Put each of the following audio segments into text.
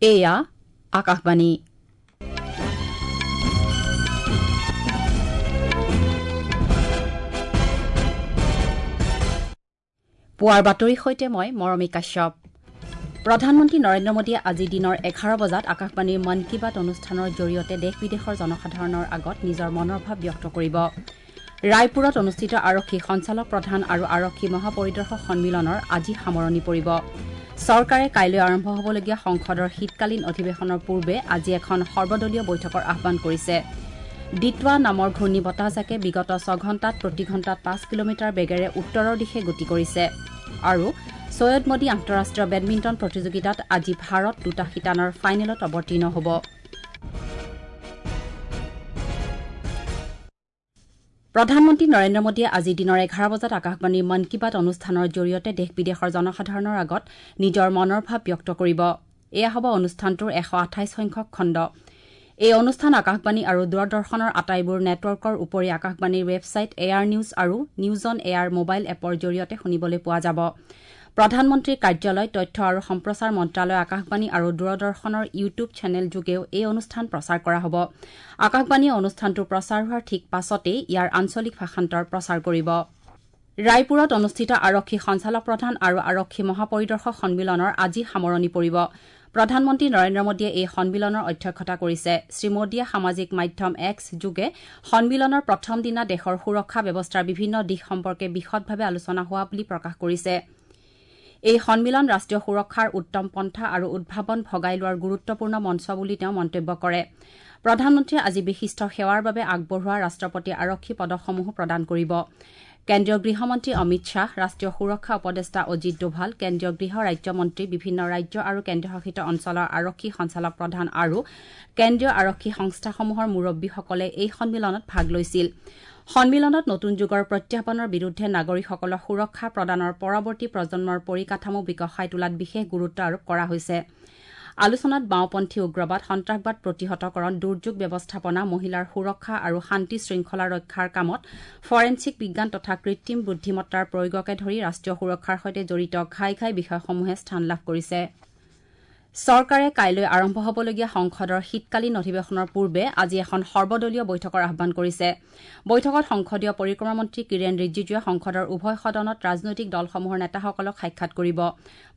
এয়া আকাশবাণী। পুৱাৰ বাতৰিৰ সৈতে মই মৰমী কাশ্যপ। প্ৰধানমন্ত্ৰী নৰেন্দ্ৰ মোদীয়ে আজি দিনৰ 11 বজাত আকাশবাণীৰ মন কী বাত অনুষ্ঠানৰ জৰিয়তে দেশ বিদেশৰ জনসাধাৰণৰ আগত নিজৰ মনৰ ভাৱ ব্যক্ত কৰিব। ৰায়পুৰত অনুষ্ঠিত আৰক্ষী সঞ্চালক প্ৰধান আৰু আৰক্ষী মহাপৰিদৰ্শক সন্মিলনৰ আজি সামৰণি পৰিব। চৰকাৰে কাইলৈ আৰম্ভ হ'বলগীয়া সংসদৰ শীতকালীন অধিৱেশনৰ পূৰ্বে আজি এখন সৰ্বদলীয় বৈঠকৰ আহ্বান কৰিছে। ডিটৱা নামৰ ঘূৰ্ণী বতাহজাকে বিগত 6 ঘণ্টাত প্ৰতি ঘণ্টাত 5 কিলোমিটাৰ বেগেৰে উত্তৰৰ দিশে গতি কৰিছে। আৰু ছৈয়দ মোদী আন্তঃৰাষ্ট্ৰীয় বেডমিণ্টন প্ৰতিযোগিতাত আজি ভাৰত দুটা শিতানৰ ফাইনেলত অৱতীৰ্ণ হ'ব। প্ৰধানমন্ত্ৰী নৰেন্দ্ৰ মোদীয়ে আজি দিনৰ 11 বজাত আকাশবাণীৰ মন কী বাত অনুষ্ঠানৰ জৰিয়তে দেশ বিদেশৰ জনসাধাৰণৰ আগত নিজৰ মনৰ ভাৱ ব্যক্ত কৰিব। এয়া হ'ব অনুষ্ঠানটোৰ 128 সংখ্যক খণ্ড। এই অনুষ্ঠান আকাশবাণী আৰু দূৰদৰ্শনৰ আটাইবোৰ নেটৱৰ্কৰ উপৰি আকাশবাণীৰ ৱেবছাইট এয়াৰ নিউজ আৰু নিউজ অন এয়াৰ মোবাইল এপৰ জৰিয়তে শুনিবলৈ পোৱা যাব। প্ৰধানমন্ত্ৰীৰ কাৰ্যালয়, তথ্য আৰু সম্প্ৰচাৰ মন্ত্ৰালয়, আকাশবাণী আৰু দূৰদৰ্শনৰ ইউটিউব চেনেল যোগেও এই অনুষ্ঠান প্ৰচাৰ কৰা হ'ব। আকাশবাণীয়ে অনুষ্ঠানটো প্ৰচাৰ হোৱাৰ ঠিক পাছতেই ইয়াৰ আঞ্চলিক ভাষান্তৰ প্ৰচাৰ কৰিব। ৰায়পুৰত অনুষ্ঠিত আৰক্ষী সঞ্চালক প্ৰধান আৰু আৰক্ষী মহাপৰিদৰ্শক সন্মিলনৰ আজি সামৰণি পৰিব। প্ৰধানমন্ত্ৰী নৰেন্দ্ৰ মোদীয়ে এই সন্মিলনৰ অধ্যক্ষতা কৰিছে। শ্ৰীমোদীয়ে সামাজিক মাধ্যম এক্স যোগে সন্মিলনৰ প্ৰথম দিনা দেশৰ সুৰক্ষা ব্যৱস্থাৰ বিভিন্ন দিশ সম্পৰ্কে বিশদভাৱে আলোচনা হোৱা বুলি প্ৰকাশ কৰিছে। এই সন্মিলন ৰাষ্ট্ৰীয় সুৰক্ষাৰ উত্তম পন্থা আৰু উদ্ভাৱন ভগাই লোৱাৰ গুৰুত্বপূৰ্ণ মঞ্চ বুলি তেওঁ মন্তব্য কৰে। প্ৰধানমন্ত্ৰীয়ে আজি বিশিষ্ট সেৱাৰ বাবে আগবঢ়োৱা ৰাষ্ট্ৰপতি আৰক্ষী পদকসমূহো প্ৰদান কৰিব। কেন্দ্ৰীয় গৃহমন্ত্ৰী অমিত শ্বাহ, ৰাষ্ট্ৰীয় সুৰক্ষা উপদেষ্টা অজিত দোভাল, কেন্দ্ৰীয় গৃহ ৰাজ্যমন্ত্ৰী, বিভিন্ন ৰাজ্য আৰু কেন্দ্ৰীয়শাসিত অঞ্চলৰ আৰক্ষী সঞ্চালক প্ৰধান আৰু কেন্দ্ৰীয় আৰক্ষী সংস্থাসমূহৰ মুৰব্বীসকলে এই সন্মিলনত ভাগ লৈছিল। সন্মিলনত নতুন যুগৰ প্ৰত্যাহ্বানৰ বিৰুদ্ধে নাগৰিকসকলক সুৰক্ষা প্ৰদানৰ পৰৱৰ্তী প্ৰজন্মৰ পৰিকাঠামো বিকশাই তোলাত বিশেষ গুৰুত্ব আৰোপ কৰা হৈছে। আলোচনাত বাওঁপন্থী উগ্ৰবাদ, সন্ত্ৰাসবাদ প্ৰতিহতকৰণ, দুৰ্যোগ ব্যৱস্থাপনা, মহিলাৰ সুৰক্ষা আৰু শান্তি শৃংখলা ৰক্ষাৰ কামত ফৰেনছিক বিজ্ঞান তথা কৃত্ৰিম বুদ্ধিমত্তাৰ প্ৰয়োগকে ধৰি ৰাষ্ট্ৰীয় সুৰক্ষাৰ সৈতে জড়িত ঘাই ঘাই বিষয়সমূহে স্থান লাভ কৰিছে। চৰকাৰে কাইলৈ আৰম্ভ হ'বলগীয়া সংসদৰ শীতকালীন অধিৱেশনৰ পূৰ্বে আজি এখন সৰ্বদলীয় বৈঠকৰ আহ্বান কৰিছে। বৈঠকত সংসদীয় পৰিক্ৰমা মন্ত্ৰী কিৰেণ ৰিজিজুৱে সংসদৰ উভয় সদনত ৰাজনৈতিক দলসমূহৰ নেতাসকলক সাক্ষাৎ কৰিব।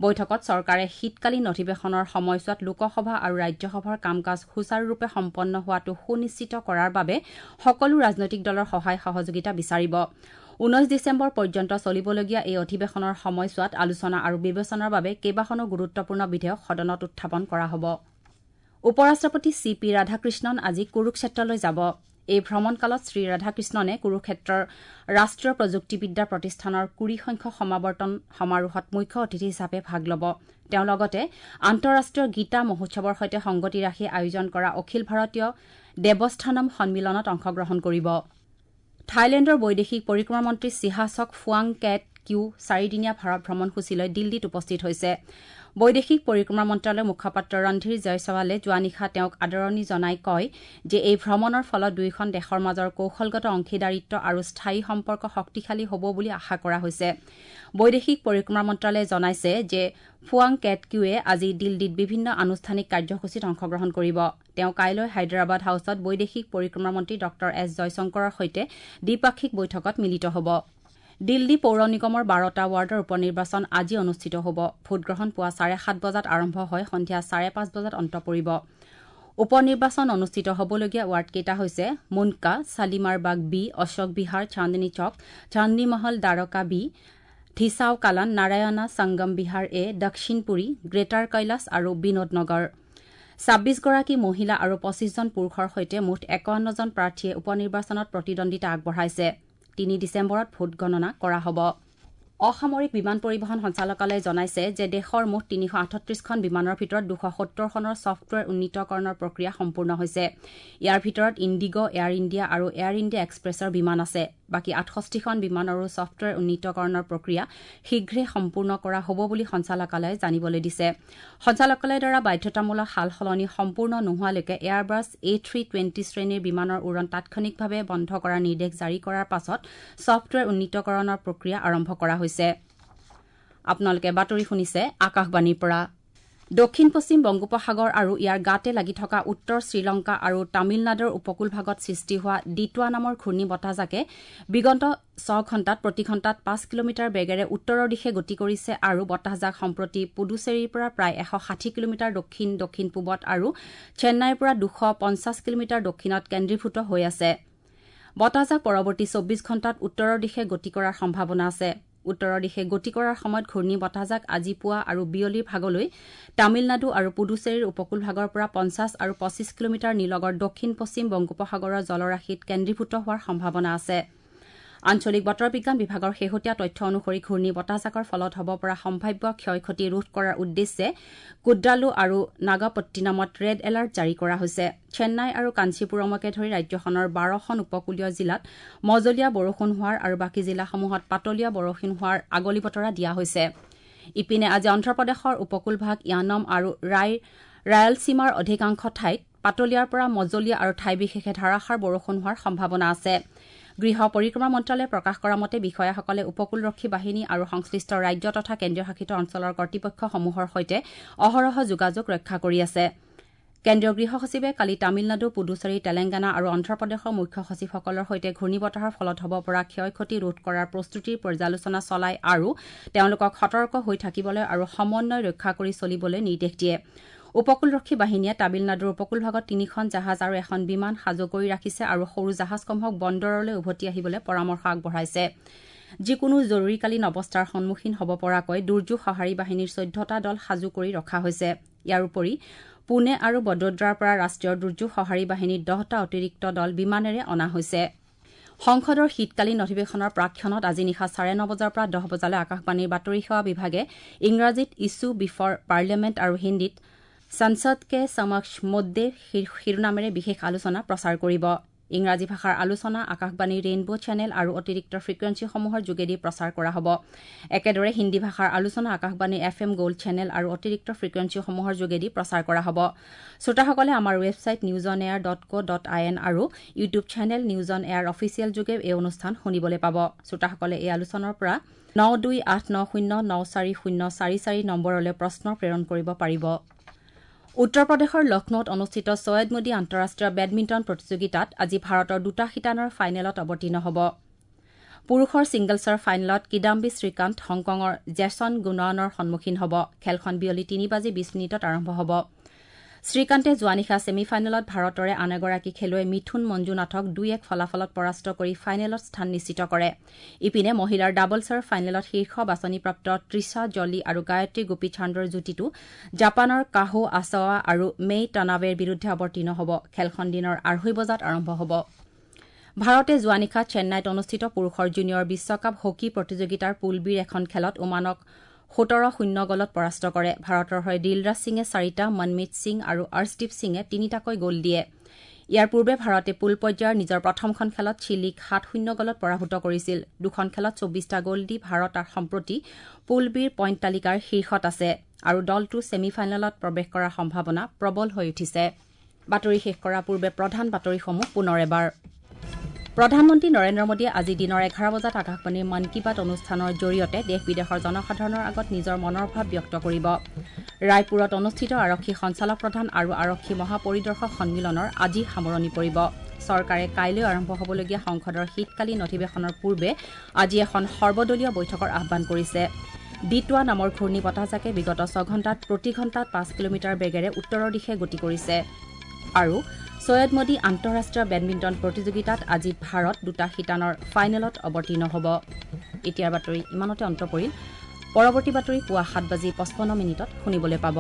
বৈঠকত চৰকাৰে শীতকালীন অধিৱেশনৰ সময়ছোৱাত লোকসভা আৰু ৰাজ্যসভাৰ কাম কাজ সুচাৰুৰূপে সম্পন্ন হোৱাটো সুনিশ্চিত কৰাৰ বাবে সকলো ৰাজনৈতিক দলৰ সহায় সহযোগিতা বিচাৰিব। 19 ডিচেম্বৰ পৰ্যন্ত চলিবলগীয়া এই অধিৱেশনৰ সময়ছোৱাত আলোচনা আৰু বিবেচনাৰ বাবে কেইবাখনো গুৰুত্বপূৰ্ণ বিধেয়ক সদনত উত্থাপন কৰা হ'ব। উপ ৰাষ্ট্ৰপতি চি পি ৰাধাকৃষ্ণন আজি কুৰুক্ষেত্ৰলৈ যাব। এই ভ্ৰমণকালত শ্ৰীৰাধাকৃষ্ণনে কুৰুক্ষেত্ৰৰ ৰাষ্ট্ৰীয় প্ৰযুক্তিবিদ্যা প্ৰতিষ্ঠানৰ 20 সংখ্যক সমাৱৰ্তন সমাৰোহত মুখ্য অতিথি হিচাপে ভাগ ল'ব। তেওঁ লগতে আন্তঃৰাষ্ট্ৰীয় গীতা মহোৎসৱৰ সৈতে সংগতি ৰাখি আয়োজন কৰা অখিল ভাৰতীয় দেৱস্থানম সন্মিলনত অংশগ্ৰহণ কৰিব। থাইলেণ্ডৰ বৈদেশিক পৰিক্ৰমা মন্ত্ৰী চিহাছক ফুৱাং কেট কিউ চাৰিদিনীয়া ভাৰত ভ্ৰমণসূচীলৈ দিল্লীত উপস্থিত হৈছে। বৈদেশিক পৰিক্ৰমা মন্ত্ৰালয়ৰ মুখপাত্ৰ ৰণধীৰ জয়ছৱালে যোৱা নিশা তেওঁক আদৰণি জনাই কয় যে এই ভ্ৰমণৰ ফলত দুয়োখন দেশৰ মাজৰ কৌশলগত অংশীদাৰিত্ব আৰু স্থায়ী সম্পৰ্ক শক্তিশালী হ'ব বুলি আশা কৰা হৈছে। বৈদেশিক পৰিক্ৰমা মন্ত্ৰালয়ে জনাইছে যে ফুৱাং কেট কিউৱে আজি দিল্লীত বিভিন্ন আনুষ্ঠানিক কাৰ্যসূচীত অংশগ্ৰহণ কৰিব। তেওঁ কাইলৈ হায়দৰাবাদ হাউচত বৈদেশিক পৰিক্ৰমা মন্ত্ৰী ডঃ এছ জয়শংকৰৰ সৈতে দ্বিপাক্ষিক বৈঠকত মিলিত হ'ব। দিল্লী পৌৰ নিগমৰ 12টা ৱাৰ্ডৰ উপ নিৰ্বাচন আজি অনুষ্ঠিত হ'ব। ভোটগ্ৰহণ পুৱা 7:30 বজাত আৰম্ভ হৈ সন্ধিয়া 5:30 বজাত অন্ত পৰিব। উপ নিৰ্বাচন অনুষ্ঠিত হ'বলগীয়া ৱাৰ্ডকেইটা হৈছে মুণ্ডকা, শালিমাৰ বাগ বি, অশোক বিহাৰ, চান্দনী চক, চান্দনী মহল, দ্বাৰকা বি, ধিছাও কালান, নাৰায়ণা, সংগম বিহাৰ এ, দক্ষিণপুৰী, গ্ৰেটাৰ কৈলাশ আৰু বিনোদ নগৰ। 26গৰাকী মহিলা আৰু 25জন পুৰুষৰ সৈতে মুঠ 51জন প্ৰাৰ্থীয়ে উপ নিৰ্বাচনত প্ৰতিদ্বন্দ্বিতা আগবঢ়াইছে। 3 ডিচেম্বৰত ভোট গণনা কৰা হ'ব। অসামৰিক বিমান পৰিবহণ সঞ্চালকালয়ে জনাইছে যে দেশৰ মুঠ 338খন বিমানৰ ভিতৰত 270খনৰ ছফ্টৱেৰ উন্নীতকৰণৰ প্ৰক্ৰিয়া সম্পূৰ্ণ হৈছে। ইয়াৰ ভিতৰত ইণ্ডিগ, এয়াৰ ইণ্ডিয়া আৰু এয়াৰ ইণ্ডিয়া এক্সপ্ৰেছৰ বিমান আছে। বাকী 68খন বিমানৰো ছফ্টৱেৰ উন্নীতকৰণৰ প্ৰক্ৰিয়া শীঘ্ৰে সম্পূৰ্ণ কৰা হ'ব বুলি সঞ্চালকালয়ে জানিবলৈ দিছে। সঞ্চালকালয়ৰ দ্বাৰা বাধ্যতামূলক সাল সলনি সম্পূৰ্ণ নোহোৱালৈকে এয়াৰবাছ এ 320 শ্ৰেণীৰ বিমানৰ উৰণ তাৎক্ষণিকভাৱে বন্ধ কৰাৰ নিৰ্দেশ জাৰি কৰাৰ পাছত ছফ্টৱেৰ উন্নীতকৰণৰ প্ৰক্ৰিয়া আৰম্ভ কৰা হৈছে। আপোনালোকে বাতৰি শুনিছে আকাশবাণীৰ পৰা। দক্ষিণ পশ্চিম বংগোপসাগৰ আৰু ইয়াৰ গাতে লাগি থকা উত্তৰ শ্ৰীলংকা আৰু তামিলনাডুৰ উপকূলভাগত সৃষ্টি হোৱা ডিটুৱা নামৰ ঘূৰ্ণী বতাহজাকে বিগত ৬ ঘণ্টাত প্ৰতি ঘণ্টাত ৫ কিলোমিটাৰ বেগেৰে উত্তৰৰ দিশে গতি কৰিছে আৰু বতাহজাক সম্প্ৰতি পুডুচেৰীৰ পৰা প্ৰায় ১৬০ কিলোমিটাৰ দক্ষিণ দক্ষিণ পূবত আৰু চেন্নাইৰ পৰা ২৫০ কিলোমিটাৰ দক্ষিণত কেন্দ্ৰীভূত হৈ আছে। বতাহজাক পৰৱৰ্তী ২৪ ঘণ্টাত উত্তৰৰ দিশে গতি কৰাৰ সম্ভাৱনা আছে। উত্তৰৰ দিশে গতি কৰাৰ সময়ত ঘূৰ্ণী বতাহজাক আজি পুৱা আৰু বিয়লিৰ ভাগলৈ তামিলনাডু আৰু পুডুচেৰীৰ উপকূলভাগৰ পৰা ৫০ আৰু ২৫ কিলোমিটাৰ নিলগৰ দক্ষিণ পশ্চিম বংগোপসাগৰৰ জলৰাশিত কেন্দ্ৰীভূত হোৱাৰ সম্ভাৱনা আছে। আঞ্চলিক বতৰ বিজ্ঞান বিভাগৰ শেহতীয়া তথ্য অনুসৰি ঘূৰ্ণী বতাহজাকৰ ফলত হ'ব পৰা সম্ভাৱ্য ক্ষয় ক্ষতি ৰোধ কৰাৰ উদ্দেশ্যে কুড্ডালো আৰু নাগাপট্টিনামত ৰেড এলাৰ্ট জাৰি কৰা হৈছে। চেন্নাই আৰু কাঞ্চীপুৰমকে ধৰি ৰাজ্যখনৰ ১২খন উপকূলীয় জিলাত মজলীয়া বৰষুণ হোৱাৰ আৰু বাকী জিলাসমূহত পাতলীয়া বৰষুণ হোৱাৰ আগলি বতৰা দিয়া হৈছে। ইপিনে আজি অন্ধ্ৰপ্ৰদেশৰ উপকূলভাগ য়ানম আৰু ৰায়ালসীমাৰ অধিকাংশ ঠাইত পাতলীয়াৰ পৰা মজলীয়া আৰু ঠাই বিশেষে ধাৰাসাৰ বৰষুণ হোৱাৰ সম্ভাৱনা আছে। গৃহ পৰিক্ৰমা মন্ত্ৰালয়ে প্ৰকাশ কৰা মতে বিষয়াসকলে উপকূলৰক্ষী বাহিনী আৰু সংশ্লিষ্ট ৰাজ্য তথা কেন্দ্ৰীয় শাসিত অঞ্চলৰ কৰ্তৃপক্ষসমূহৰ সৈতে অহৰহ যোগাযোগ ৰক্ষা কৰি আছে। কেন্দ্ৰীয় গৃহ সচিবে কালি তামিলনাডু, পুডুচেৰী, তেলেংগানা আৰু অন্ধ্ৰপ্ৰদেশৰ মুখ্য সচিবসকলৰ সৈতে ঘূৰ্ণীবতাহৰ ফলত হ'ব পৰা ক্ষয় ক্ষতি ৰোধ কৰাৰ প্ৰস্তুতিৰ পৰ্যালোচনা চলায় আৰু তেওঁলোকক সতৰ্ক হৈ থাকিবলৈ আৰু সমন্বয় ৰক্ষা কৰি চলিবলৈ নিৰ্দেশ দিয়ে। উপকূলৰক্ষী বাহিনীয়ে তামিলনাডুৰ উপকূলভাগত ৩খন জাহাজ আৰু এখন বিমান সাজু কৰি ৰাখিছে আৰু সৰু জাহাজসমূহক বন্দৰলৈ উভতি আহিবলৈ পৰামৰ্শ আগবঢ়াইছে। যিকোনো জৰুৰীকালীন অৱস্থাৰ সন্মুখীন হ'ব পৰাকৈ দুৰ্যোগ সঁহাৰি বাহিনীৰ ১৪টা দল সাজু কৰি ৰখা হৈছে। ইয়াৰ উপৰি পুনে আৰু বদোদৰাৰ পৰা ৰাষ্ট্ৰীয় দুৰ্যোগ সঁহাৰি বাহিনীৰ ১০টা অতিৰিক্ত দল বিমানেৰে অনা হৈছে। সংসদৰ শীতকালীন অধিৱেশনৰ প্ৰাকক্ষণত আজি নিশা ৯:৩০ বজাৰ পৰা ১০ বজালৈ আকাশবাণীৰ বাতৰি সেৱা বিভাগে ইংৰাজীত ইছ্যু বিফৰ পাৰ্লিয়ামেণ্ট আৰু হিন্দীত সংসদ কে সমক্ষ মুদ্দে শিৰোনামেৰে বিশেষ আলোচনা প্ৰচাৰ কৰিব। ইংৰাজী ভাষাৰ আলোচনা আকাশবাণীৰ ৰেইনব' চেনেল আৰু অতিৰিক্ত ফ্ৰিকুৱেঞ্চিসমূহৰ যোগেদি প্ৰচাৰ কৰা হ'ব। একেদৰে হিন্দী ভাষাৰ আলোচনা আকাশবাণীৰ এফ এম গ'ল্ড চেনেল আৰু অতিৰিক্ত ফ্ৰিকুৱেঞ্চিসমূহৰ যোগেদি প্ৰচাৰ কৰা হ'ব। শ্ৰোতাসকলে আমাৰ website news on air dot co dot I N আৰু YouTube channel news on air official যোগে এই অনুষ্ঠান শুনিবলৈ পাব। শ্ৰোতাসকলে এই আলোচনাৰ পৰা ৯২৮৯০৯৪০৪৪ নম্বৰলৈ প্ৰশ্ন প্ৰেৰণ কৰিব পাৰিব। উত্তৰ প্ৰদেশৰ লক্ষ্ণৌত অনুষ্ঠিত ছৈয়দ মোদী আন্তঃৰাষ্ট্ৰীয় বেডমিণ্টন প্ৰতিযোগিতাত আজি ভাৰতৰ দুটা শিতানৰ ফাইনেলত অৱতীৰ্ণ হ'ব। পুৰুষৰ ছিংগলছৰ ফাইনেলত কিদাম্বি শ্ৰীকান্ত হংকঙৰ জেছন গুনাৱানৰ সন্মুখীন হ'ব। খেলখন বিয়লি ৩:২০ আৰম্ভ হ'ব। শ্ৰীকান্তে যোৱা নিশা ছেমি ফাইনেলত ভাৰতৰে আন এগৰাকী খেলুৱৈ মিথুন মঞ্জুনাথক ২-১ ফলাফলত পৰাস্ত কৰি ফাইনেলত স্থান নিশ্চিত কৰে। ইপিনে মহিলাৰ ডাবলছৰ ফাইনেলত শীৰ্ষ বাছনিপ্ৰাপ্ত তৃষা জলি আৰু গায়ত্ৰী গোপীচান্দৰ যুটিটো জাপানৰ কাহো আছাৱা আৰু মেই টানাৱেৰ বিৰুদ্ধে অৱতীৰ্ণ হ'ব। খেলখন দিনৰ ২:৩০ বজাত আৰম্ভ হ'ব। ভাৰতে যোৱা নিশা চেন্নাইত অনুষ্ঠিত পুৰুষৰ জুনিয়ৰ বিশ্বকাপ হকী প্ৰতিযোগিতাৰ পুল বিৰ এখন খেলত ওমানক ১৭-০ গ'লত পৰাস্ত কৰে। ভাৰতৰ হৈ দিলৰাজ সিঙে ৪টা, মনমিত সিং আৰু অৰ্শদীপ সিঙে ৩টাকৈ গ'ল দিয়ে। ইয়াৰ পূৰ্বে ভাৰতে পুল পৰ্যায়ৰ নিজৰ প্ৰথমখন খেলত চিলিক ৭-০ গ'লত পৰাভূত কৰিছিল। দুখন খেলত ২৪টা গ'ল দি ভাৰত সম্প্ৰতি পুল বিৰ পইণ্ট তালিকাৰ শীৰ্ষত আছে আৰু দলটো ছেমি ফাইনেলত প্ৰৱেশ কৰাৰ সম্ভাৱনা প্ৰবল হৈ উঠিছে। বাতৰি শেষ কৰাৰ পূৰ্বে প্ৰধান বাতৰিসমূহ পুনৰ এবাৰ। প্ৰধানমন্ত্ৰী নৰেন্দ্ৰ মোদীয়ে আজি দিনৰ ১১ বজাত আকাশবাণীৰ মন কী বাত অনুষ্ঠানৰ জৰিয়তে দেশ বিদেশৰ জনসাধাৰণৰ আগত নিজৰ মনৰ ভাৱ ব্যক্ত কৰিব। ৰায়পুৰত অনুষ্ঠিত আৰক্ষী সঞ্চালক প্ৰধান আৰু আৰক্ষী মহাপৰিদৰ্শক সন্মিলনৰ আজি সামৰণি পৰিব। চৰকাৰে কাইলৈ আৰম্ভ হ'বলগীয়া সংসদৰ শীতকালীন অধিৱেশনৰ পূৰ্বে আজি এখন সৰ্বদলীয় বৈঠকৰ আহ্বান কৰিছে। ডিটুৱা নামৰ ঘূৰ্ণী বতাহজাকে বিগত ৬ ঘণ্টাত প্ৰতি ঘণ্টাত ৫ কিলোমিটাৰ বেগেৰে উত্তৰৰ দিশে গতি কৰিছে। আৰু ছৈয়দ মোদী আন্তঃৰাষ্ট্ৰীয় বেডমিণ্টন প্ৰতিযোগিতাত আজি ভাৰত দুটা শিতানৰ ফাইনেলত অৱতীৰ্ণ হ'ব। এতিয়াৰ বাতৰি ইমানতে অন্ত পৰিল। পৰৱৰ্তী বাতৰি পুৱা ৭:৫৫ শুনিবলৈ পাব।